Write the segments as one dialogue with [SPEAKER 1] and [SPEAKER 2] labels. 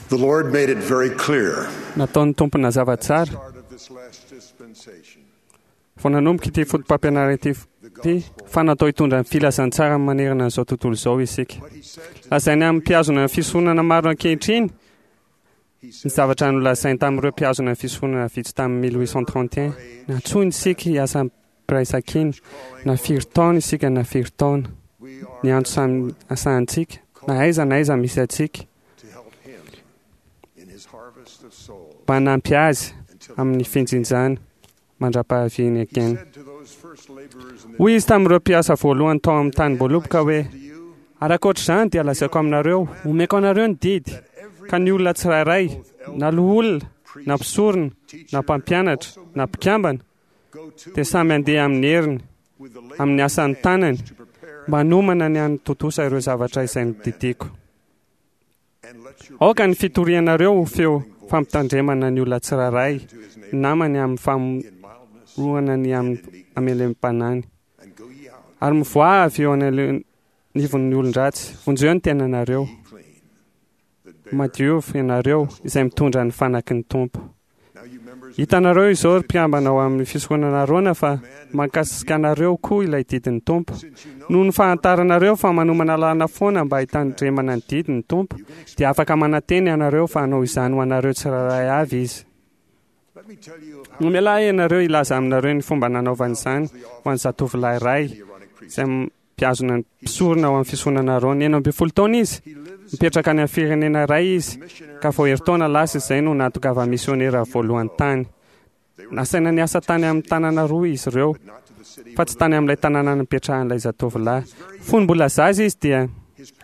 [SPEAKER 1] The Lord made it very clear
[SPEAKER 2] Nataon'ny Tompo nazava tsara
[SPEAKER 1] start of this last dispensation.
[SPEAKER 2] vao nanomboka ity foto-pampianarana ity ity fa natao hitondra ny filazantsara manerana an'izao tontolo izao isika. Lazainy amin'ny mpihazona ny fisoronana maro ankehitriny ny zavatra nolazainy tamin'ireo mpihazona ny fisoronana vitsy tamin'ny 1831. Nantsoiny isika hiasa am-piraisankina na firy taona isika na firy taona. Ny antso samy asahantsika na aiza na aiza misy antsika
[SPEAKER 1] To help him in his harvest of souls.
[SPEAKER 2] mba hanampy azy amin'ny finjinjana mandra-pahaviany
[SPEAKER 1] He
[SPEAKER 2] again.
[SPEAKER 1] said to those first laborers in the
[SPEAKER 2] Hoy izy tamin'ireo mpiasa voalohany tao amin'ny tanim-boaloboka hoe
[SPEAKER 1] to you,
[SPEAKER 2] ary ankoatr'izany dia lazaiko aminareo, omeko anareo ny didy, ka ny olona tsirairay, na loholona, na mpisorona, na mpampianatra, na mpikambana,
[SPEAKER 1] go to
[SPEAKER 2] dia samy handeha amin'ny heriny,
[SPEAKER 1] with the labor
[SPEAKER 2] amin'ny asan'ny tanany,
[SPEAKER 1] to prepare
[SPEAKER 2] mba hanomana ny hanatontosa ireo zavatra izay nodidiako.
[SPEAKER 1] and let your
[SPEAKER 2] Aoka ny fitorianareo ho feo fampitandremana ny olona tsirairay, namany amin'ny
[SPEAKER 1] in mildness
[SPEAKER 2] famoronana ny amin'ny amelem-panany.
[SPEAKER 1] and go ye out
[SPEAKER 2] Ary mivoaha avy eo anivon'ny olon-dratsy, vonjeo ny tenanareo.
[SPEAKER 1] ye clean that bear.
[SPEAKER 2] Madiovy ianareo izay mitondra ny fanaky ny Tompo.
[SPEAKER 1] Now you members of
[SPEAKER 2] Hitanareo izao ry mpikambana ao amin'ny fisoronana Arona fa mankasika anareo koa ilay didin'ny Tompo. Noho ny fahantaranareo fa manomana lalana foana mba hitandremana ny didin'ny Tompo, dia afaka manantena ianareo fa hanao izany ho anareo tsirairay avy izy.
[SPEAKER 1] Let me tell you of how
[SPEAKER 2] Nomela ahy ianareo hilaza aminareo ny fomba nanaovany izany ho an'ny zatovolahy iray
[SPEAKER 1] the Aaronic priest.
[SPEAKER 2] izay mpihazona ny mpisorona ao amin'ny fisoronana Arona. 16 taona izy,
[SPEAKER 1] He lives
[SPEAKER 2] mipetraka any amin'ny firenena iray izy,
[SPEAKER 1] missionary
[SPEAKER 2] ka vao herintaona lasa izay no nahatongava misionera voalohany tany. Nasaina niasa tany amin'ny tanàna roa izy ireo,
[SPEAKER 1] but not to the city
[SPEAKER 2] fa tsy tany amin'ilay tanàna nipetrahan'ilay zatovolahy. Fony mbola zaza izy dia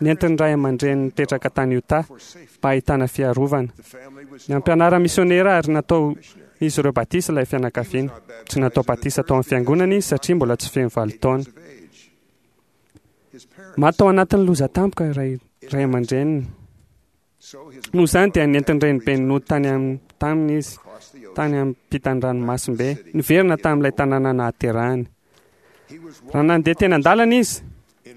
[SPEAKER 2] nentin'ny ray aman-dreniny nipetraka tany Utah
[SPEAKER 1] for safety.
[SPEAKER 2] mba hahitana fiarovana.
[SPEAKER 1] The family was
[SPEAKER 2] Ny ampianara misionera ary natao izy ireo batisa ilay fianakaviana. Tsy natao batisa tao amin'ny fiangonana izy satria mbola tsy feno 8 taona.
[SPEAKER 1] of age. His parents,
[SPEAKER 2] Maty tao anatin'ny loza tampoka iray ray aman-dreniny.
[SPEAKER 1] so his
[SPEAKER 2] Noho izany dia nentin'ny renibeny nody tany am- taminy izy,
[SPEAKER 1] across the ocean.
[SPEAKER 2] tany amin'ny mpitan-dranomasimbe, niverina tamin'ilay tanàna nahaterahany.
[SPEAKER 1] He was
[SPEAKER 2] Raha nandeha teny an-dalana izy,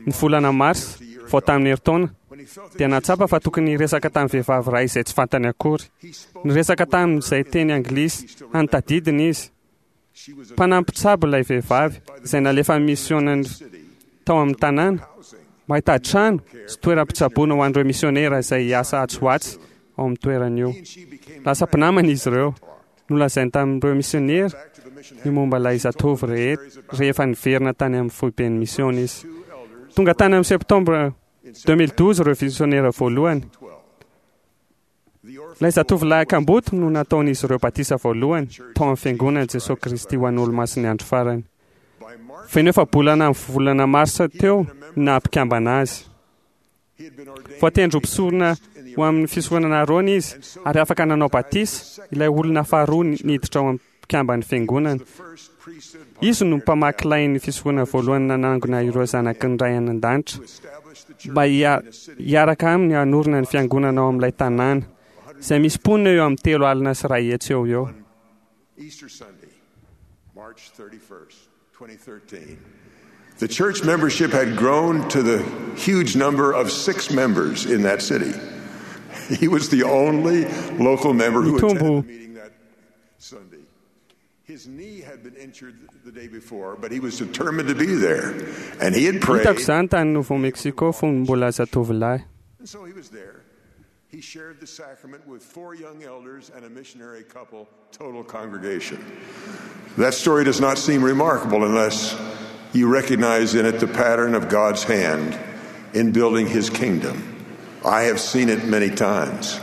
[SPEAKER 2] ny volana marsa, vao tamin'ny herintaona,
[SPEAKER 1] when he felt
[SPEAKER 2] dia nahatsapa fa tokony hiresaka tamin'ny vehivavy iray izay tsy fantany akory.
[SPEAKER 1] he spoke
[SPEAKER 2] Niresaka tamin'izay teny anglisy hany tadidiny izy.
[SPEAKER 1] she was a
[SPEAKER 2] Mpanampy mpitsabo ilay vehivavy izay nalefa misionany
[SPEAKER 1] city
[SPEAKER 2] tao amin'ny tanàna
[SPEAKER 1] housing
[SPEAKER 2] mba hitady trano sy toeram-pitsaboana ho an'ireo misionera izay hiasa atsy ho atsy ao amin'ny toerana io.
[SPEAKER 1] He and she became
[SPEAKER 2] Lasa mpinamana izy ireo. Nolazainy tamin'ireo misionera
[SPEAKER 1] back to the mission
[SPEAKER 2] ny momba ilay zatovo rehefa niverina tany amin'ny foiben'ny misiona izy.
[SPEAKER 1] two elders
[SPEAKER 2] Tonga tany amin'ny septembre
[SPEAKER 1] in
[SPEAKER 2] 2012 ireo misionera voalohany.
[SPEAKER 1] 12. The orphan
[SPEAKER 2] Ilay zatovolahy kamboty no nataon'izy ireo batisa voalohany tao amin'ny fiangonan'i Jesosy Kristy ho an'olo-masin'ny andro farany.
[SPEAKER 1] by March
[SPEAKER 2] Feno efa-bolana amin'ny volana marsa teo no naha-mpikambana azy.
[SPEAKER 1] he had been ordained
[SPEAKER 2] Voatendry ho mpisorona ho amin'ny fisoronana Arona izy ary afaka nanao batisa ilay olona faharoa niditra ao amin'ny mpikamban'ny fiangonana.
[SPEAKER 1] the first priesthood
[SPEAKER 2] Izy no mpamaky lain'ny fisoronana voalohany nanangona ireo zanaky ny ray any an-danitra
[SPEAKER 1] to establish the church
[SPEAKER 2] mba hiaraka aminy hanorina ny fiangonana ao amin'ilay tanàna izay misy mponina eo amin'ny 130 eo ho eo.
[SPEAKER 1] Easter Sunday, March 31st, 2013. The church membership had grown to the huge number of 6 members in that city. He was the only local member who attended
[SPEAKER 2] Nitombo
[SPEAKER 1] the meeting that Sunday. His knee had been injured the day before, but he was determined to be there. And he had prayed.
[SPEAKER 2] Hitako izany tany Nouveau Mexico fony mbola zatovolahy.
[SPEAKER 1] And so he was there. He shared the sacrament with 4 young elders and a missionary couple, total congregation. That story does not seem remarkable unless you recognize in it the pattern of God's hand in building his kingdom. I have seen it many times.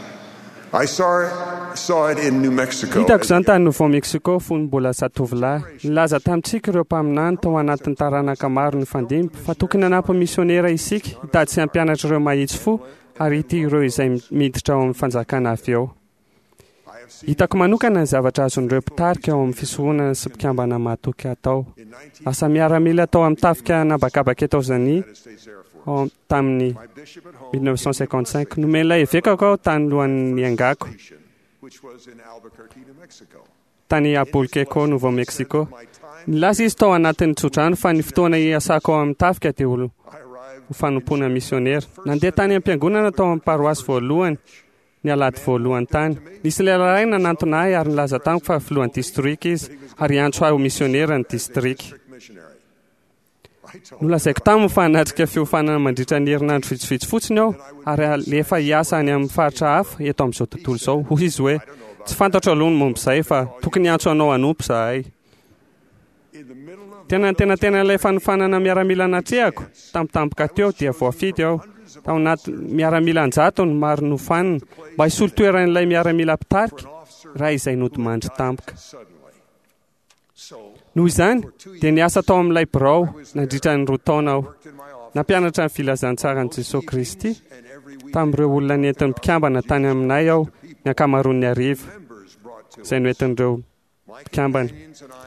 [SPEAKER 1] I saw it in New Mexico.
[SPEAKER 2] Hitako izany tany Nouveau Mexico fony mbola zatovolahy. Nilaza tamintsika ireo mpaminany tao anatin'ny taranaka maro nifandimby fa tokony hanampy misionera isika hitady sy hampianatra ireo mahitsy fo ary ity ireo izay miditra ao amin'ny fanjakana avy eo.
[SPEAKER 1] I have seen
[SPEAKER 2] Hitako manokana ny zavatra azon'ireo mpitarika ao amin'ny fisoronana sy mpikambana mahatoky atao.
[SPEAKER 1] in 19
[SPEAKER 2] Lasa miaramila tao amin'ny tafika an'habakabaka Etazonia
[SPEAKER 1] United States Air Force.
[SPEAKER 2] ao tamin'ny
[SPEAKER 1] My bishop at home
[SPEAKER 2] 1955. Nomen'ilay evekako aho tany lohan'ny niangako
[SPEAKER 1] station, which was in Albuquerque, New Mexico.
[SPEAKER 2] tany Albuquerque, Nouveau Mexico.
[SPEAKER 1] My time
[SPEAKER 2] Nilaza izy tao anatin'ny tsodrano fa ny fotoana hiasako ao amin'ny tafika dia ho
[SPEAKER 1] I arrived
[SPEAKER 2] ho fanompoana misionera. Nandeha tany am-piangonana tao amin'ny paroasy voalohany. ny alahady voalohany tany. Nisy lehilahy iray nanantona ahy ary nilaza tamiko fa filohan'ny distrika izy ary hiantso ahy ho misionera ny distrika. Nolazaiko taminy fa hanatrika fiofanana mandritra ny herinandro vitsivitsy fotsiny aho ary halefa hiasa any amin'ny faritra hafa eto amin'izao tontolo izao. Hoy izy hoe, Tsy fantatro aloha ny momba izay fa tokony hiantso anao hanompo izahay. Tena nitenantena ilay fanofanana miaramila natrehako, tampotampoka teo dia voafidy aho, tao anaty miaramila an-jatony maro nofanina, mba hisolo toeran'ilay miaramila mpitarika raha izay nodimandry tampoka. Noho izany, dia niasa tao amin'ilay birao nandritra ny roa taona aho. Nampianatra ny filazantsaran'i Jesoa Kristy tamin'ireo olona nentin'ny mpikambana tany aminay aho ny ankamaroan'ny hariva, izay noentin'ireo mpikambana.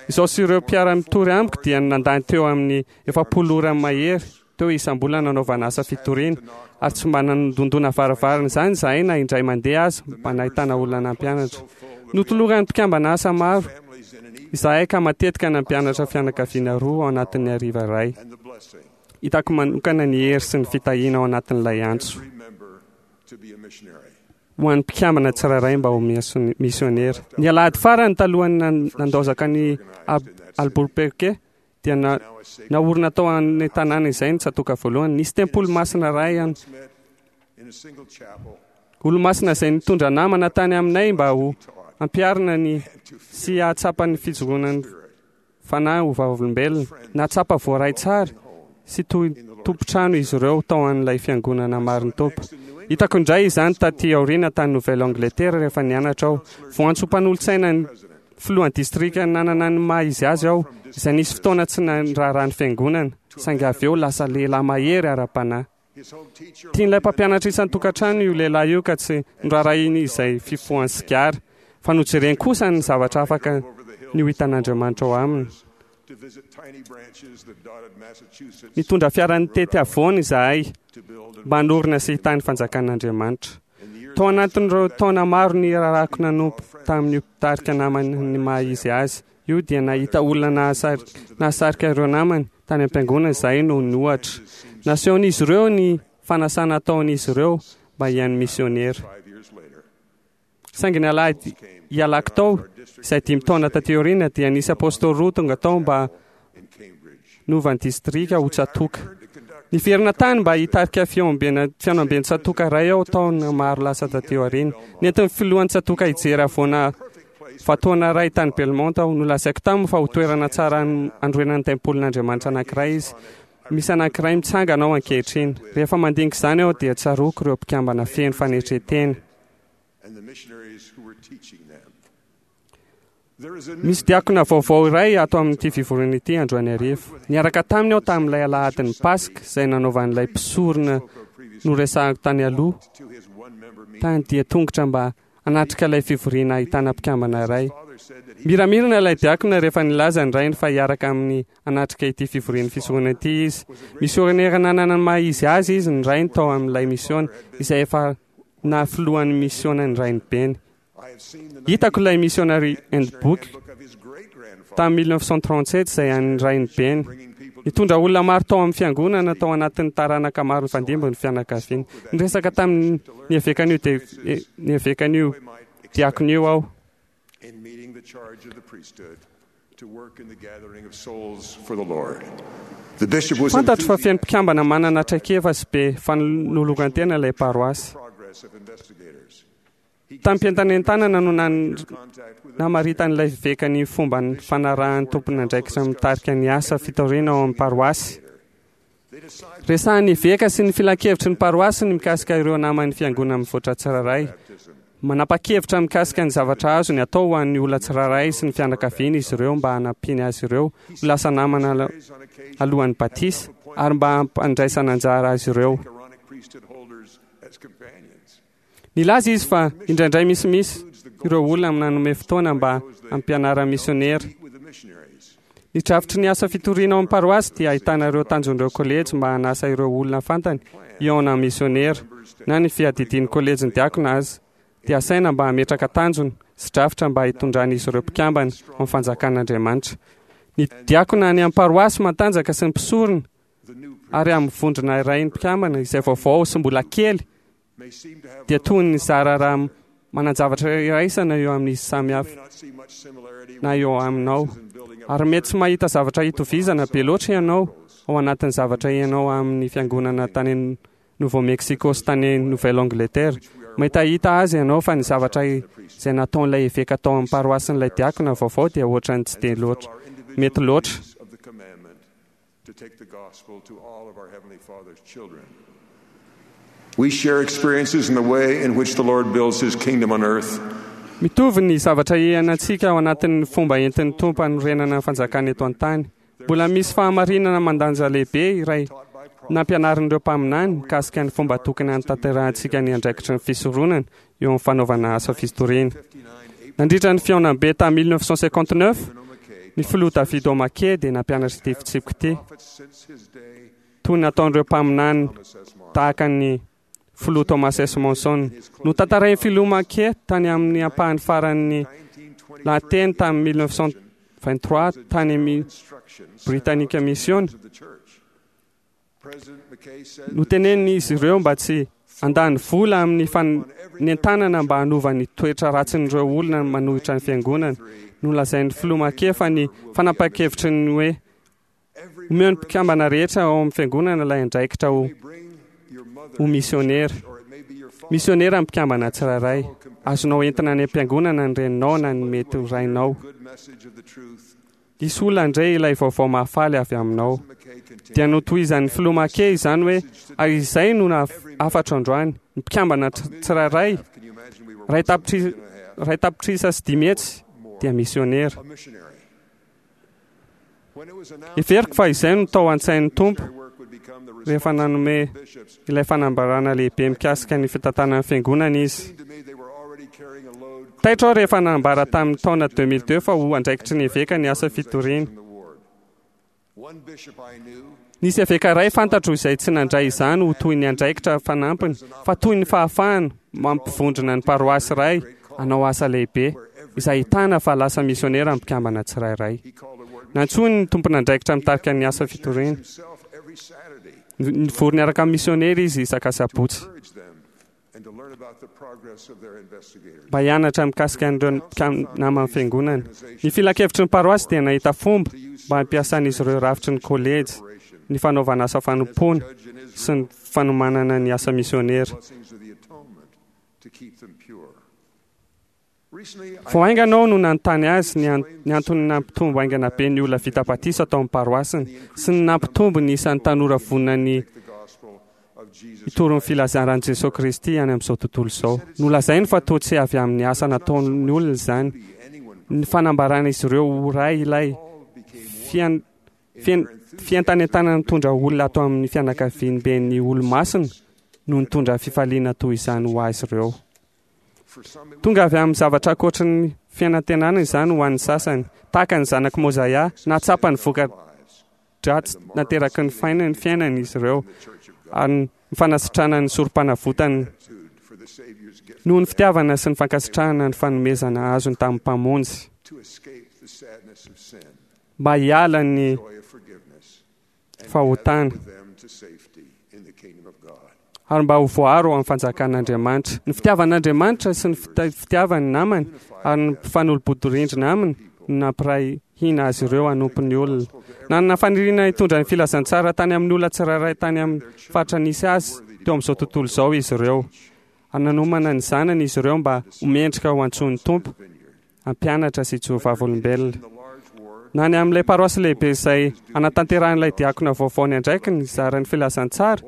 [SPEAKER 2] Izaho sy ireo mpiara-mitory amiko dia nandany teo amin'ny 40 ora mahery teo isam-bolana nanaovana asa fitoriana, ary tsy mba nandondona varavarana izany izahay na indray mandeha aza mba nahitana olona nampianatra. Notoloran'ny mpikambana asa maro izahay ka matetika nampianatra fianakaviana roa ao anatin'ny hariva iray. Hitako manokana ny hery sy ny fitahiana ao anatin'ilay antso ho an'ny mpikambana tsirairay mba ho misionera. Ny alahady farany talohan'ny nandaozako an'i Albuquerque dia naorina tao amin'ny tanàna izay ny tsatòka voalohany. Nisy tempoly masina iray any. Olomasina izay nitondra namana tany aminay mba ho ampiharina ny sy hahatsapa ny fijoroana ny fanahy ho vavolombelona. Nahatsapa voaray tsara sy toy tompon-trano izy ireo tao an'ilay fiangonana marin'ny Tompo. Hitako indray izany taty aoriana tany Nouvelle-Angleterre rehefa nianatra aho. Voantso ho mpanolotsaina ny Filohan'ny distrika nanana ny maha izy azy aho, izay nisy fotoana tsy niraharaha ny fiangonana, saingy avy eo lasa lehilahy mahery ara-panahy. Tian'ilay mpampianatra isan-tokantrano io lehilahy io ka tsy noraharahiany izay fifohany sigara, fa nojereny kosa ny zavatra afaka ny ho hitan'Andriamanitra ao aminy. Nitondra fiara nitety havoana izahay mba hanorina sy hitahy ny fanjakan'Andriamanitra. Tao anatin'ireo taona maro nirarako nanompo tamin'io mpitarika namany ny maha izy azy io dia nahita olona nahasarika ireo namany tany am-piangonana izahay noho ny ohatra nasehon'izy ireo ny fanasana ataon'izy ireo mba hihaino misionera. Saingy ny alahady hialako tao, izay dimy taona taty aoriana, dia nisy apôstôly roa tonga tao mba nova ny distrika ho tsatòka. Niverina tany mba hitarika fihaonamben'ny tsatòka iray aho taona maro lasa taty aoriana. Nentin'ny filohan'ny tsatòka hijery havoana vatoana iray tany Belmont aho. Nolazaiko taminy fa ho toerana tsara hanorenana ny tempolin'Andriamanitra anankiray izy. Misy anankiray mitsangana ao ankehitriny. Rehefa mandinika izany aho dia tsaroako ireo mpikambana feno fanetren-tena. Misy diakona vaovao iray ato amin'ity fivoriana ity androany hariva. Niaraka taminy aho tamin'ilay alahadin'ny Paska izay nanaovan'ilay mpisorona noresahako tany aloha tany dia tongotra mba hanatrika ilay fivoriana ahitana mpikambana iray. Miramirana ilay diakona rehefa nilaza ny rainy fa hiaraka aminy hanatrika ity fivorian'ny fisoronana ity izy. Misionera nanana ny maha izy azy izy ny rainy tao amin'ilay misiona izay efa naha-filohan'ny misiona ny rainibeny. Hitako ilay Missionary Handbook tamin'ny 1937 izay an'ny rainibeny. Nitondra olona maro tao amin'ny fiangonana tao anatin'ny taranaka maro nifandimby ny fianakaviany. Niresaka tamin'ny evekan'io ny evekan'io diakona io aho. Fantatro fa feno mpikambana manana traikefa sy be fanoloran-tena ilay paroasy. Tamim-pientanentanana no namaritan'ilay eveka ny fomba fanarahan'ny tompon'andraikitra mitarika ny asa fitoriana ao amin'ny paroasy. Resahan'ny eveka sy ny filankevitry ny paroasy ny mikasika ireo naman'ny fiangonana mivoatra tsirairay. Manapa-kevitra mikasika ny zavatra azony atao ho an'ny olona tsirairay sy ny fianakaviany izy ireo mba hanampiany azy ireo ho lasa namana alohan'ny batisa ary mba hampandraisana anjara azy ireo. Nilaza izy fa indraindray misimisy ireo olona nanome fotoana mba hampianarana misionera. Ny drafitry ny asa fitoriana ao amin'ny paroasy dia ahitana ireo tanjon'ireo kolejy mba hanasa ireo olona fantany hihaona amin'ny misionera, na ny fiadidian'ny kolejin'ny diakona aza dia asaina mba hametraka tanjona sy drafitra mba hitondran'izy ireo mpikambana ao amin'ny fanjakan'Andriamanitra. Ny diakona any amin'ny paroasy matanjaka sy ny mpisorona ary amin'ny vondrona iray ny mpikambana izay vaovao sy mbola kely. dia toy ny zara raha manan-javatra iraisana eo amin'izy samy hafa na eo aminao. Ary mety tsy mahita zavatra itovizana be loatra ianao ao anatin'ny zavatra ianao amin'ny fiangonana tany Nouveau Mexico sy tany Nouvelle Angleterre. Mahitahita azy ianao fa ny zavatra izay nataon'ilay eveka tao amin'ny paroasin'ilay diakona vaovao dia ohatran'ny tsy dia loatra mety loatra.
[SPEAKER 1] We share experiences in the way in which the Lord builds his kingdom on earth.
[SPEAKER 2] Mitovy ny zavatra iainantsika ao anatin'ny fomba entin'ny Tompo hanorenana ny fanjakany eto an-tany. Mbola misy fahamarinana mandanja lehibe iray nampianarin'ireo mpaminany mikasika ny fomba tokony hanatanterahantsika ny andraikitry ny fisoronana eo amin'ny fanaovana asa fitoriana. Nandritra ny fihaonambe tamin'ny 1959, ny filoha David O. McKay dia nampianatra ity fitsipika ity, toy ny nataon'ireo mpaminany tahaka ny filoha Thomas S. Monson. Notantarain'ny filoha McKay tany amin'ny ampahany faran'ny lahateny tamin'ny 1923 tany amin'ny Britannica Mission. Notenenin'izy ireo mba tsy handany vola amin'ny fanentanana mba hanova ny toetra ratsin'ireo olona manohitra ny fiangonana. Nolazain'ny filoha McKay fa ny fanapahan-kevitry ny hoe omeo ny mpikambana rehetra ao amin'ny fiangonana ilay andraikitra ho ho misionera. Misionera ny mpikambana tsirairay. Azonao entina any am-piangonana ny reninao na ny mety ho rainao. Hisy olona handre ilay vaovao mahafaly avy aminao. Dia notohizan'ny filoha McKay izany hoe, ary izay no hafatro androany, ny mpikambana tsirairay, 500,000 dia misionera. Heveriko fa izay no tao an-tsain'ny Tompo rehefa nanome ilay fanambarana lehibe mikasika ny fitantanan'ny fiangonana Izy. Taitra aho rehefa nanambara tamin'ny taona 2002 fa ho andraikitry ny eveka ny asa fitoriana. Nisy eveka iray fantatro izay tsy nandray izany ho toy ny andraikitra fanampiny fa toy ny fahafahana mampivondrona ny paroasy iray hanao asa lehibe izay ahitana fa lasa misionera ny mpikambana tsirairay. Nantsoiny ny tompon'andraikitra mitarika ny asa fitoriana. Nivory niaraka amin'ny misionera izy isak'asabotsy mba hianatra mikasika an'ireo naman'ny fiangonana. Ny filankevitry ny paroasy dia nahita fomba mba hampiasan'izy ireo rafitry ny kolejy, ny fanaovana asa fanompoana sy ny fanomanana ny asa misionera. Vao haingana aho no nanontany azy ny ny antony nampitombo haingana be ny olona vita batisa tao amin'ny paroasiny sy ny nampitombo ny isan'ny tanora vonona ny hitory ny filazan'i Jesoa Kristy any amin'izao tontolo izao. Nolazainy fa toa tsy avy amin'ny asa nataon'ny olona izany. Ny fanambaran'izy ireo ho ray ilay fian fientanentanana nitondra olona ato amin'ny fianakaviamben'ny Olomasina no nitondra fifaliana toy izany ho azy ireo. Tonga avy amin'ny zavatra ankoatry ny fianantenana izany ho an'ny sasany, tahaka ny zanak'i Mozaia, nahatsapa ny voka-dratsy nateraky ny fainany fiainany izy ireo, ary ny fanasitranana ny sorompanavotany noho ny fitiavana sy ny fankasitrahana ny fanomezana azony tamin'ny Mpamonjy. Mba hiala ny fahotana ary mba ho voaro amin'ny fanjakan'Andriamanitra. Ny fitiavan'Andriamanitra sy ny fitiavany ny namany ary ny mpifanolo-bodirindrina aminy no nampiray hina azy ireo hanompo ny olona. Nanana faniriana hitondra ny filazantsara tany amin'ny olona tsirairay tany amin'ny faritra nisy azy teo amin'izao tontolo izao izy ireo. Ary nanomana ny zanany izy ireo mba ho mendrika ho antsoin'ny Tompo hampianatra sy hijoro vavolombelona. Na ny amin'ilay paroasy lehibe izay anatanterahan'ilay diakona vaovao ny andraikiny hizara ny filazantsara,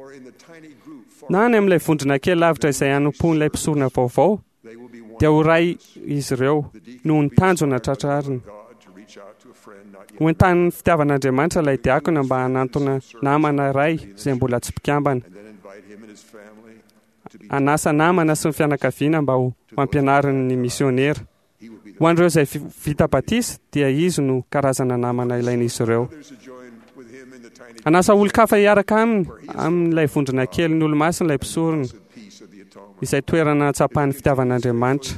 [SPEAKER 2] na any amin'ilay vondrona kely lavitra izay hanompoan'ilay mpisorona vaovao, dia ho ray izy ireo noho ny tanjona tratrariny. Ho entanin'ny fitiavan'Andriamanitra ilay diakona mba hanantona namana iray izay mbola tsy mpikambana. Hanasa namana sy ny fianakaviana mba ho ampianariny ny misionera. Ho an'ireo izay vita batisa dia izy no karazana namana ilain'izy ireo. Hanasa olon-kafa hiaraka aminy amin'ilay vondrona kelin'ny Olomasina ilay mpisorona, izay toerana hatsapan'ny fitiavan'Andriamanitra.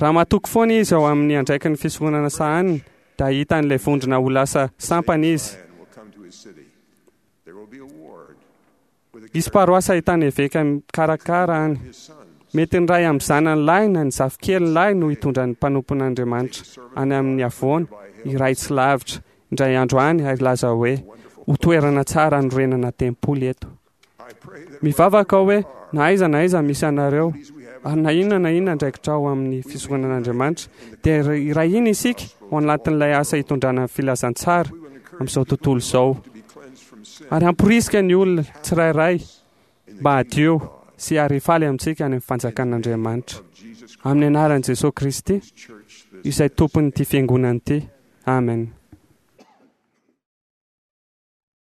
[SPEAKER 2] Raha matoky foana izy ao amin'ny andraikiny fisoronana sahaniny, dia hahita an'ilay vondrona ho lasa sampana izy. Hisy paroasy ahitana eveka mikarakara any. Mety ny ray amin'ny zanany lahy na ny zafikeliny lahy no hitondra ny mpanompon'Andriamanitra any amin'ny havoana iray tsy lavitra indray andro any ary hilaza hoe, Ho toerana tsara hanorenana tempoly eto. Mivavaka aho hoe na aiza na aiza misy anareo, ary na inona na inona andraikitrao amin'ny fisoronan'Andriamanitra, dia iray hina isika ao anatin'ilay asa hitondrana ny filazantsara amin'izao tontolo izao, ary hamporisika ny olona tsirairay mba hadio sy ary hifaly amintsika any amin'ny fanjakan'Andriamanitra. Amin'ny anaran'i Jesoa Kristy, izay Tompon'ity fiangonana ity. Amen.